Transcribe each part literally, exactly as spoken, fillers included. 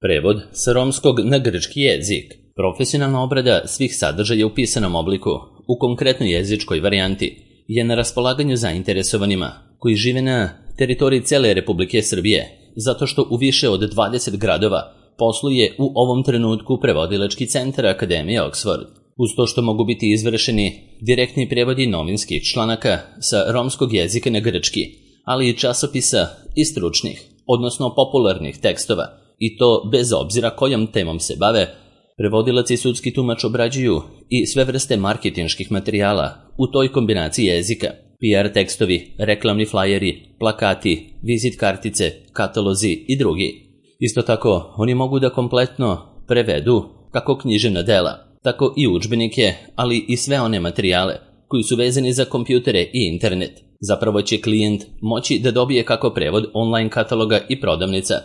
Prevod sa romskog na grčki jezik. Profesionalna obrada svih sadržaja u pisanom obliku, u konkretnoj jezičkoj varijanti, je na raspolaganju zainteresovanima koji žive na teritoriji cele Republike Srbije, zato što u više od dvadeset gradova posluje u ovom trenutku prevodilački centar Akademije Oxford. Uz to što mogu biti izvršeni direktni prevodi novinskih članaka sa romskog jezika na grčki, ali i časopisa i stručnih, odnosno popularnih tekstova, i to bez obzira kojom temom se bave, prevodilac i sudski tumač obrađuju i sve vrste marketinških materijala u toj kombinaciji jezika, P R tekstovi, reklamni flajeri, plakati, vizit kartice, katalozi i drugi. Isto tako, oni mogu da kompletno prevedu kako književna dela, tako i udžbenike, ali i sve one materijale koji su vezani za kompjutere i internet. Zapravo će klijent moći da dobije kako prevod online kataloga i prodavnica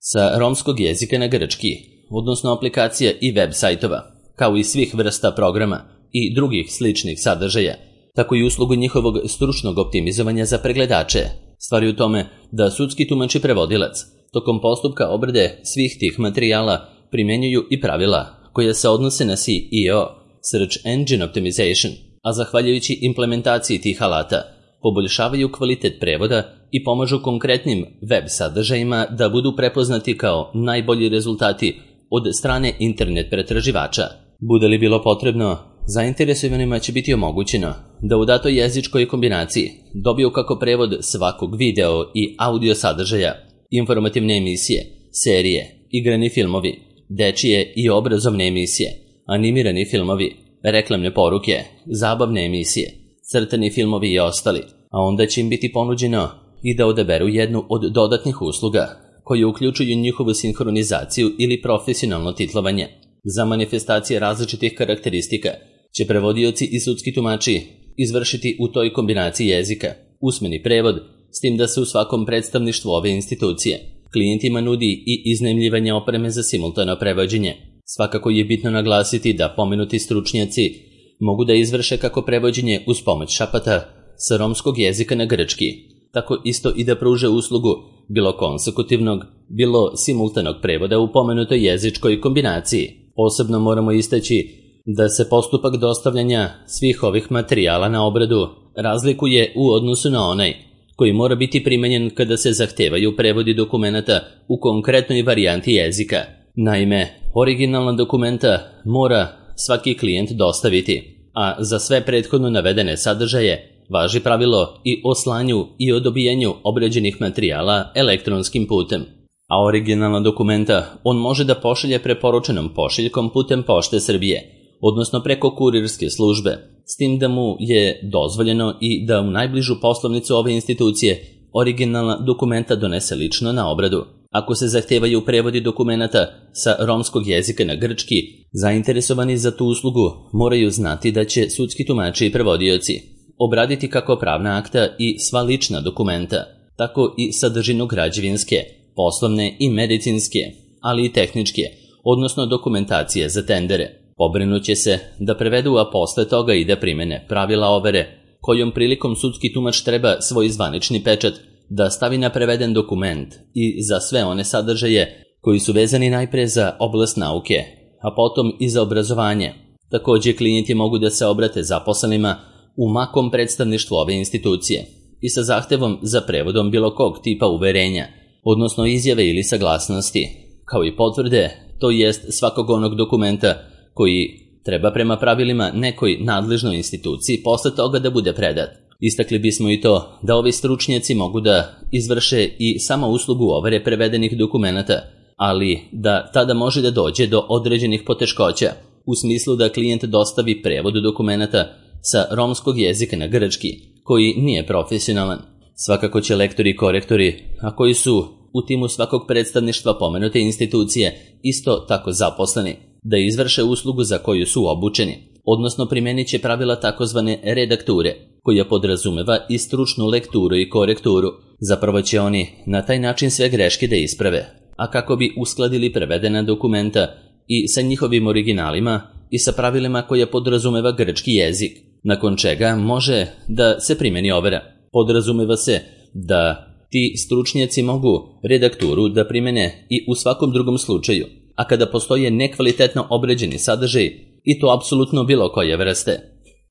sa romskog jezika na grčki, odnosno aplikacija i web sajtova, kao i svih vrsta programa i drugih sličnih sadržaja, tako i uslugu njihovog stručnog optimizovanja za pregledače. Stvar je u tome da sudski tumač i prevodilac tokom postupka obrade svih tih materijala primenjuju i pravila koja se odnose na S E O, Search Engine Optimization, a zahvaljujući implementaciji tih alata poboljšavaju kvalitet prevoda i pomažu konkretnim web sadržajima da budu prepoznati kao najbolji rezultati od strane internet pretraživača. Bude li bilo potrebno, zainteresovanima će biti omogućeno da u datoj jezičkoj kombinaciji dobiju kako prevod svakog video i audio sadržaja, informativne emisije, serije, igrani filmovi, dečije i obrazovne emisije, animirani filmovi, reklamne poruke, zabavne emisije, crtani filmovi i ostali, a onda će im biti ponuđeno i da odaberu jednu od dodatnih usluga koje uključuju njihovu sinhronizaciju ili profesionalno titlovanje. Za manifestacije različitih karakteristika će prevodioci i sudski tumači izvršiti u toj kombinaciji jezika usmeni prevod, s tim da se u svakom predstavništvu ove institucije klijentima nudi i iznajmljivanje opreme za simultano prevođenje. Svakako je bitno naglasiti da pomenuti stručnjaci mogu da izvrše kako prevođenje uz pomoć šapata sa romskog jezika na grčki, tako isto i da pruže uslugu bilo konsekutivnog, bilo simultanog prevoda u pomenutoj jezičkoj kombinaciji. Posebno moramo istaći da se postupak dostavljanja svih ovih materijala na obradu razlikuje u odnosu na onaj koji mora biti primenjen kada se zahtevaju prevodi dokumenata u konkretnoj varijanti jezika. Naime, originalna dokumenta mora svaki klijent dostaviti, a za sve prethodno navedene sadržaje važi pravilo i o slanju i o dobijanju obrađenih materijala elektronskim putem. A originalna dokumenta on može da pošalje preporučenom pošiljkom putem Pošte Srbije, odnosno preko kurirske službe, s tim da mu je dozvoljeno i da u najbližu poslovnicu ove institucije originalna dokumenta donese lično na obradu. Ako se zahtevaju prevodi dokumenata sa romskog jezika na grčki, zainteresovani za tu uslugu moraju znati da će sudski tumači i prevodioci obraditi kako pravna akta i sva lična dokumenta, tako i sadržinu građevinske, poslovne i medicinske, ali i tehničke, odnosno dokumentacije za tendere. Pobrinuće se da prevedu, a posle toga i da primene pravila overe, kojom prilikom sudski tumač treba svoj zvanični pečat da stavi na preveden dokument i za sve one sadržaje koji su vezani najpre za oblast nauke, a potom i za obrazovanje. Također klijenti mogu da se obrate zaposlenima u makom predstavništvu ove institucije i sa zahtevom za prevodom bilo kog tipa uverenja, odnosno izjave ili saglasnosti, kao i potvrde, to jest svakog onog dokumenta koji treba prema pravilima nekoj nadležnoj instituciji posle toga da bude predat. Istakli bismo i to da ovi stručnjaci mogu da izvrše i samo uslugu overe prevedenih dokumenata, ali da tada može da dođe do određenih poteškoća, u smislu da klijent dostavi prevod dokumenata sa romskog jezika na grčki, koji nije profesionalan. Svakako će lektori i korektori, a koji su u timu svakog predstavništva pomenute institucije isto tako zaposleni, da izvrše uslugu za koju su obučeni, odnosno primenit će pravila takozvane redakture, koja podrazumeva i stručnu lekturu i korekturu. Zapravo će oni na taj način sve greške da isprave, a kako bi uskladili prevedena dokumenta i sa njihovim originalima i sa pravilima koja podrazumeva grčki jezik, nakon čega može da se primeni overa. Podrazumeva se da Ti stručnjaci mogu redakturu da primene i u svakom drugom slučaju, a kada postoje nekvalitetno obređeni sadržaj, i to apsolutno bilo koje vrste.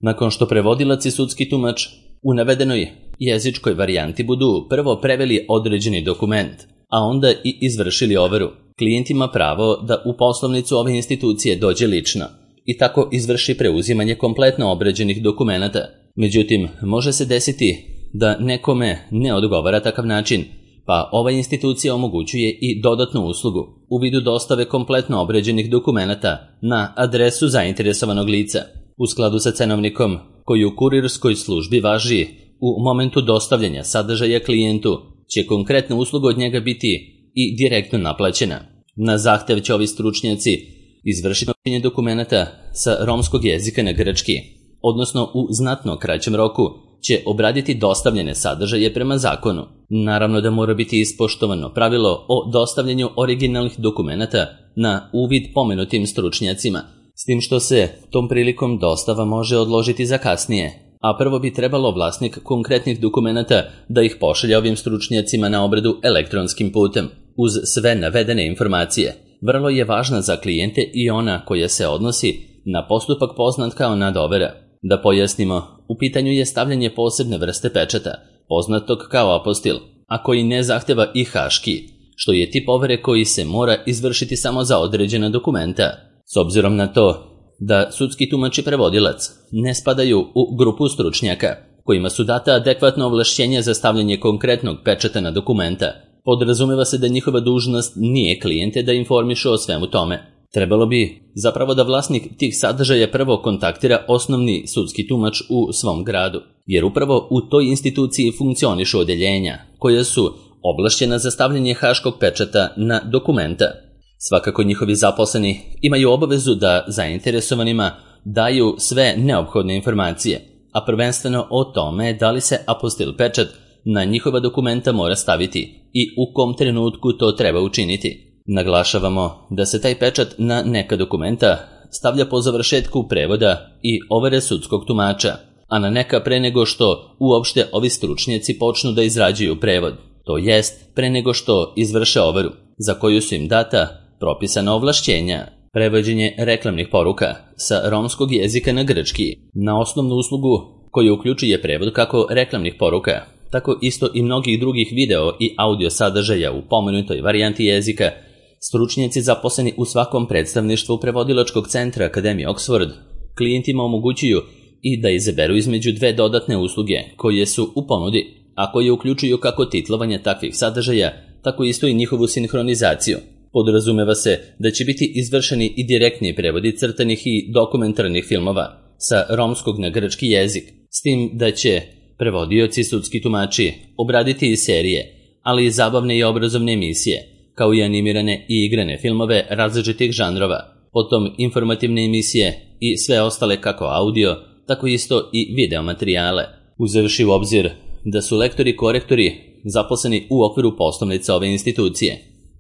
Nakon što prevodilac i sudski tumač u navedenoj jezičkoj varijanti budu prvo preveli određeni dokument, a onda i izvršili overu, klijent ima pravo da u poslovnicu ove institucije dođe lično i tako izvrši preuzimanje kompletno obređenih dokumenata. Međutim, može se desiti da nekome ne odgovara takav način, pa ova institucija omogućuje i dodatnu uslugu u vidu dostave kompletno obređenih dokumenata na adresu zainteresovanog lica, u skladu sa cenovnikom koji u kurirskoj službi važi u momentu dostavljanja sadržaja klijentu, će konkretna usluga od njega biti i direktno naplaćena. Na zahtev će ovi stručnjaci izvršiti prenošenje dokumenata sa romskog jezika na grčki, odnosno u znatno kraćem roku će obraditi dostavljene sadržaje prema zakonu. Naravno da mora biti ispoštovano pravilo o dostavljanju originalnih dokumenata na uvid pomenutim stručnjacima, s tim što se tom prilikom dostava može odložiti za kasnije, a prvo bi trebalo vlasnik konkretnih dokumenata da ih pošalje ovim stručnjacima na obradu elektronskim putem, uz sve navedene informacije. Vrlo je važna za klijente i ona koja se odnosi na postupak poznat kao nadovera. Da pojasnimo, u pitanju je stavljanje posebne vrste pečata, poznatog kao apostil, a koji ne zahteva i haški, što je tip overe koji se mora izvršiti samo za određena dokumenta. S obzirom na to da sudski tumač i prevodilac ne spadaju u grupu stručnjaka kojima su data adekvatna ovlašćenja za stavljanje konkretnog pečata na dokumenta, podrazumeva se da njihova dužnost nije klijente da informišu o svemu tome. Trebalo bi zapravo da vlasnik tih sadržaja prvo kontaktira osnovni sudski tumač u svom gradu, jer upravo u toj instituciji funkcionišu odeljenja koja su ovlašćena za stavljanje haškog pečata na dokumenta. Svakako njihovi zaposleni imaju obavezu da zainteresovanima daju sve neophodne informacije, a prvenstveno o tome da li se apostil pečat na njihova dokumenta mora staviti i u kom trenutku to treba učiniti. Naglašavamo da se taj pečat na neka dokumenta stavlja po završetku prevoda i overe sudskog tumača, a na neka pre nego što uopšte ovi stručnjaci počnu da izrađuju prevod, to jest pre nego što izvrše overu, za koju su im data propisana ovlašćenja. Prevođenje reklamnih poruka sa romskog jezika na grčki na osnovnu uslugu koju uključuje prevod kako reklamnih poruka, tako isto i mnogih drugih video i audio sadržaja u pomenutoj varijanti jezika, stručnjaci zaposleni u svakom predstavništvu prevodilačkog centra Akademije Oxford klijentima omogućuju i da izaberu između dve dodatne usluge koje su u ponudi, a koje uključuju kako titlovanje takvih sadržaja, tako isto i njihovu sinhronizaciju. Podrazumeva se da će biti izvršeni i direktni prevodi crtanih i dokumentarnih filmova sa romskog na grčki jezik, s tim da će prevodioci i sudski tumači obraditi i serije, ali i zabavne i obrazovne emisije, kao i animirane i igrane filmove različitih žanrova, potom informativne emisije i sve ostale kako audio, tako isto i video materijale, uzevši u obzir da su lektori i korektori zaposleni u okviru poslovnice ove institucije.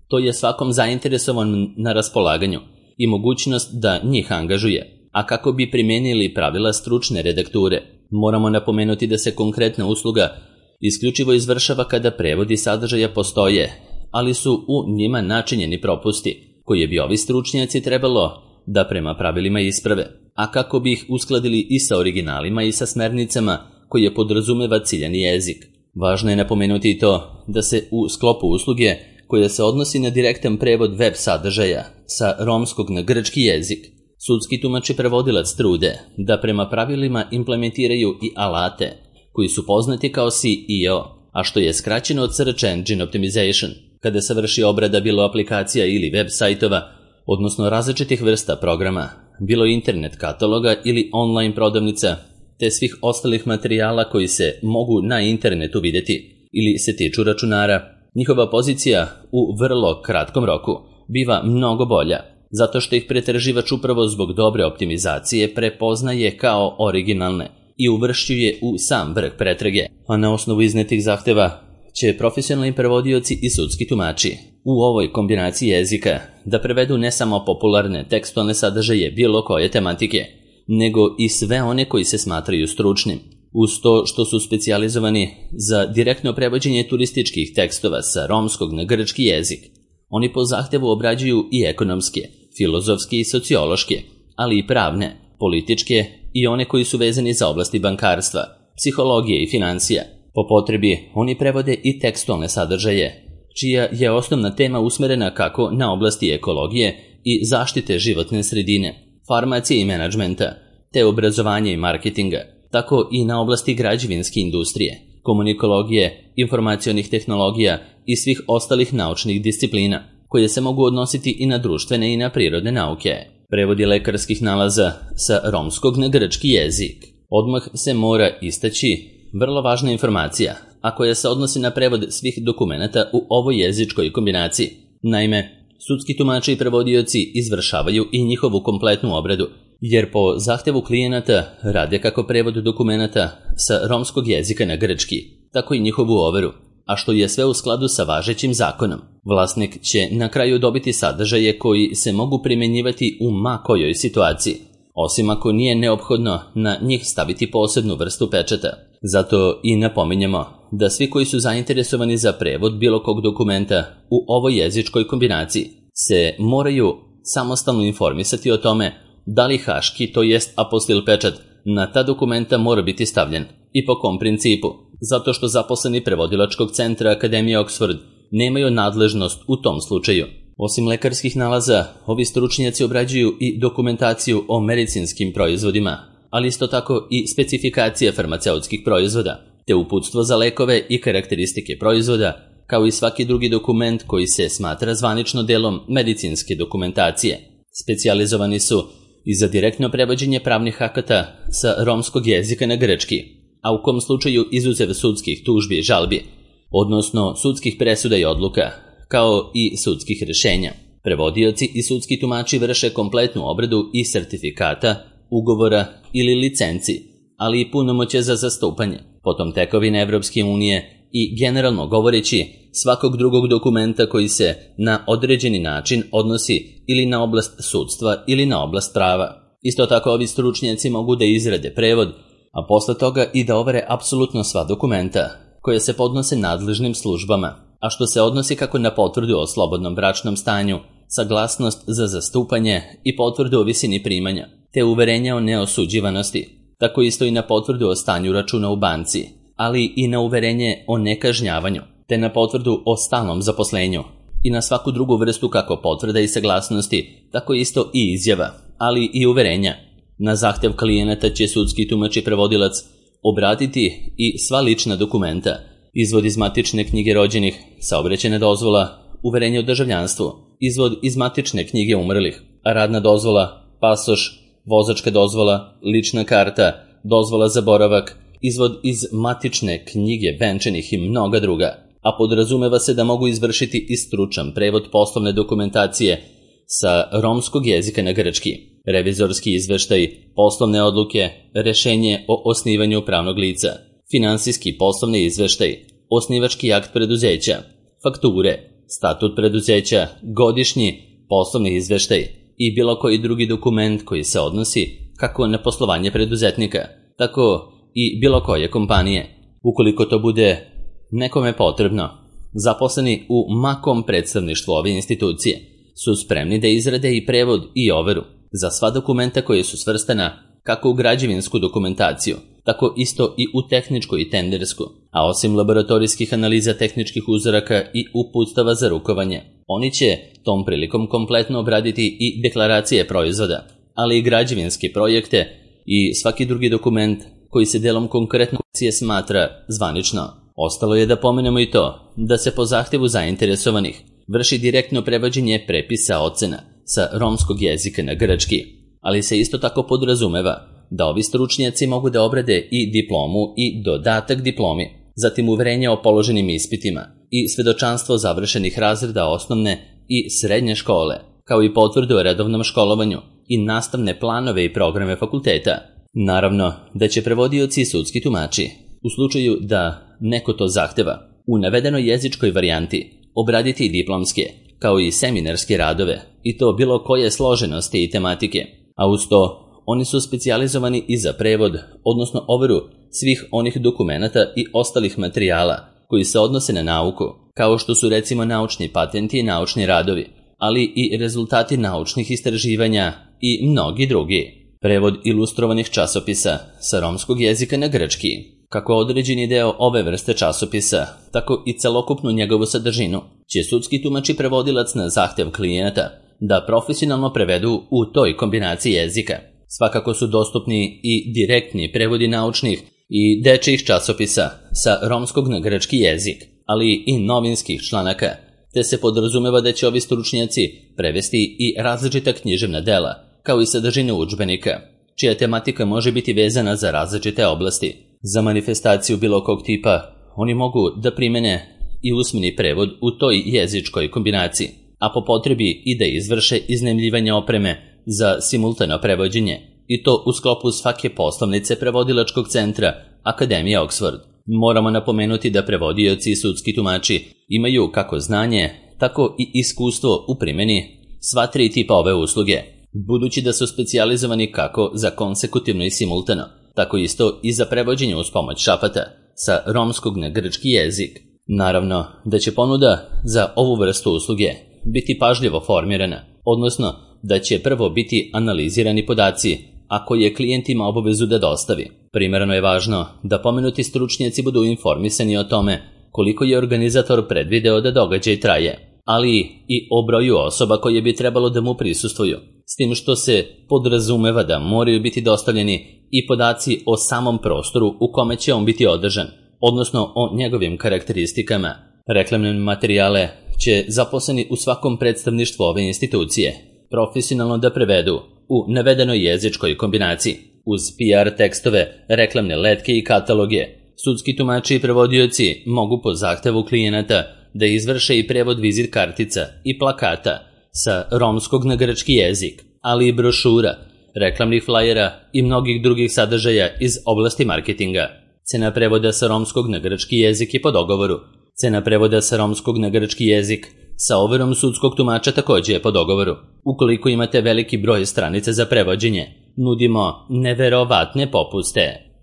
To je svakom zainteresovan na raspolaganju i mogućnost da njih angažuje, a kako bi primenili pravila stručne redakture. Moramo napomenuti da se konkretna usluga isključivo izvršava kada prevodi sadržaja postoje, ali su u njima načinjeni propusti, koje bi ovi stručnjaci trebalo da prema pravilima isprave, a kako bi ih uskladili i sa originalima i sa smernicama koje podrazumeva ciljani jezik. Važno je napomenuti i to da se u sklopu usluge koja se odnosi na direktan prevod web sadržaja sa romskog na grčki jezik, sudski tumač i prevodilac trude da prema pravilima implementiraju i alate koji su poznati kao S E O, a što je skraćeno od Search Engine Optimization, kada se vrši obrada bilo aplikacija ili web sajtova, odnosno različitih vrsta programa, bilo internet kataloga ili online prodavnica, te svih ostalih materijala koji se mogu na internetu vidjeti ili se tiču računara. Njihova pozicija u vrlo kratkom roku biva mnogo bolja, zato što ih pretraživač upravo zbog dobre optimizacije prepoznaje kao originalne i uvršćuje u sam vrh pretrage, a na osnovu iznetih zahteva će profesionalni prevodioci i sudski tumači u ovoj kombinaciji jezika da prevedu ne samo popularne tekstualne sadržaje bilo koje tematike, nego i sve one koji se smatraju stručnim. Uz to što su specijalizovani za direktno prevođenje turističkih tekstova sa romskog na grčki jezik, oni po zahtevu obrađuju i ekonomske, filozofske i sociološke, ali i pravne, političke i one koji su vezani za oblasti bankarstva, psihologije i financija. Po potrebi oni prevode i tekstualne sadržaje, čija je osnovna tema usmerena kako na oblasti ekologije i zaštite životne sredine, farmacije i menadžmenta, te obrazovanja i marketinga, tako i na oblasti građevinske industrije, komunikologije, informacionih tehnologija i svih ostalih naučnih disciplina, koje se mogu odnositi i na društvene i na prirodne nauke. Prevodi lekarskih nalaza sa romskog na grčki jezik. Odmah se mora istaći vrlo važna informacija, a koja se odnosi na prevod svih dokumenata u ovoj jezičkoj kombinaciji. Naime, sudski tumači i prevodioci izvršavaju i njihovu kompletnu obradu, jer po zahtevu klijenata rade kako prevod dokumenata sa romskog jezika na grčki, tako i njihovu overu, a što je sve u skladu sa važećim zakonom. Vlasnik će na kraju dobiti sadržaje koji se mogu primjenjivati u ma kojoj situaciji, osim ako nije neophodno na njih staviti posebnu vrstu pečata. Zato i napominjemo da svi koji su zainteresovani za prevod bilo kog dokumenta u ovoj jezičkoj kombinaciji se moraju samostalno informisati o tome da li haški, to jest apostil pečat, na ta dokumenta mora biti stavljen i po kom principu, zato što zaposleni prevodilačkog centra Akademije Oxford nemaju nadležnost u tom slučaju. Osim lekarskih nalaza, ovi stručnjaci obrađuju i dokumentaciju o medicinskim proizvodima, ali isto tako i specifikacije farmaceutskih proizvoda, te uputstvo za lekove i karakteristike proizvoda, kao i svaki drugi dokument koji se smatra zvanično delom medicinske dokumentacije. Specijalizovani su i za direktno prevođenje pravnih akata sa romskog jezika na grčki, a u kom slučaju izuzev sudskih tužbi i žalbi, odnosno sudskih presuda i odluka, kao i sudskih rešenja. Prevodioci i sudski tumači vrše kompletnu obradu i sertifikata, ugovora ili licenci, ali i punomoćje za zastupanje, potom tekovine Evropske unije i generalno govoreći svakog drugog dokumenta koji se na određeni način odnosi ili na oblast sudstva ili na oblast prava. Isto tako ovi stručnjaci mogu da izrade prevod, a posle toga i da overe apsolutno sva dokumenta koje se podnose nadležnim službama, a što se odnosi kako na potvrdu o slobodnom bračnom stanju, saglasnost za zastupanje i potvrdu o visini primanja, te uverenja o neosuđivanosti, tako isto i na potvrdu o stanju računa u banci, ali i na uverenje o nekažnjavanju, te na potvrdu o stalnom zaposlenju i na svaku drugu vrstu kako potvrda i saglasnosti, tako isto i izjava, ali i uverenja. Na zahtev klijenata će sudski tumač i prevodilac obratiti i sva lična dokumenta, izvod iz matične knjige rođenih, saobraćajna dozvola, uverenje o državljanstvu, izvod iz matične knjige umrlih, radna dozvola, pasoš, vozačka dozvola, lična karta, dozvola za boravak, izvod iz matične knjige venčanih i mnoga druga, a podrazumeva se da mogu izvršiti i stručan prevod poslovne dokumentacije sa romskog jezika na grčki, revizorski izveštaj, poslovne odluke, rešenje o osnivanju pravnog lica, finansijski poslovni izveštaj, osnivački akt preduzeća, fakture, statut preduzeća, godišnji poslovni izveštaj i bilo koji drugi dokument koji se odnosi kako na poslovanje preduzetnika, tako i bilo koje kompanije. Ukoliko to bude nekome potrebno, zaposleni u makom predstavništvu ove institucije su spremni da izrade i prevod i overu za sva dokumenta koje su svrstana kako u građevinsku dokumentaciju, tako isto i u tehničku i tendersku, a osim laboratorijskih analiza tehničkih uzoraka i uputstava za rukovanje. Oni će tom prilikom kompletno obraditi i deklaracije proizvoda, ali i građevinske projekte i svaki drugi dokument koji se delom konkretno smatra zvanično. Ostalo je da pomenemo i to da se po zahtevu zainteresovanih vrši direktno prevođenje prepisa ocena sa romskog jezika na grčki, ali se isto tako podrazumeva da ovi stručnjaci mogu da obrade i diplomu i dodatak diplomi, zatim uverenje o položenim ispitima i svedočanstvo završenih razreda osnovne i srednje škole, kao i potvrdu o redovnom školovanju i nastavne planove i programe fakulteta. Naravno da će prevodioci i sudski tumači, u slučaju da neko to zahteva, u navedenoj jezičkoj varijanti obraditi diplomske, kao i seminarske radove, i to bilo koje složenosti i tematike, a uz to oni su specijalizovani i za prevod, odnosno overu svih onih dokumenata i ostalih materijala koji se odnose na nauku, kao što su recimo naučni patenti i naučni radovi, ali i rezultati naučnih istraživanja i mnogi drugi. Prevod ilustrovanih časopisa sa romskog jezika na grčki. Kako određeni deo ove vrste časopisa, tako i celokupnu njegovu sadržinu, će sudski tumač i prevodilac na zahtev klijenata da profesionalno prevedu u toj kombinaciji jezika. Svakako su dostupni i direktni prevodi naučnih i dečijih časopisa sa romskog na grčki jezik, ali i novinskih članaka, te se podrazumeva da će ovi stručnjaci prevesti i različita književna dela, kao i sadržine udžbenika, čija tematika može biti vezana za različite oblasti. Za manifestaciju bilo kog tipa, oni mogu da primene i usmeni prevod u toj jezičkoj kombinaciji, a po potrebi i da izvrše iznajmljivanje opreme za simultano prevođenje, i to u sklopu svake poslovnice prevodilačkog centra Akademije Oxford. Moramo napomenuti da prevodioci i sudski tumači imaju kako znanje, tako i iskustvo u primjeni sva tri tipa ove usluge, budući da su specijalizovani kako za konsekutivno i simultano, tako isto i za prevođenje uz pomoć šapata sa romskog na grčki jezik. Naravno da će ponuda za ovu vrstu usluge biti pažljivo formirana, odnosno da će prvo biti analizirani podaci, a koje klijent ima obavezu da dostavi. Primerno je važno da pomenuti stručnjaci budu informisani o tome koliko je organizator predvideo da događaj traje, ali i o broju osoba koje bi trebalo da mu prisustvuju, s tim što se podrazumeva da moraju biti dostavljeni i podaci o samom prostoru u kome će on biti održan, odnosno o njegovim karakteristikama. Reklamne materijale će zaposleni u svakom predstavništvu ove institucije profesionalno da prevedu u navedenoj jezičkoj kombinaciji, uz P R tekstove, reklamne letke i kataloge. Sudski tumači i prevodioci mogu po zahtevu klijenata da izvrše i prevod vizit kartica i plakata sa romskog na grčki jezik, ali i brošura, reklamnih flajera i mnogih drugih sadržaja iz oblasti marketinga. Cena prevoda sa romskog na grčki jezik je po dogovoru. Cena prevoda sa romskog na grčki jezik sa overom sudskog tumača takođe je po dogovoru. Ukoliko imate veliki broj stranica za prevođenje, nudimo neverovatne popuste.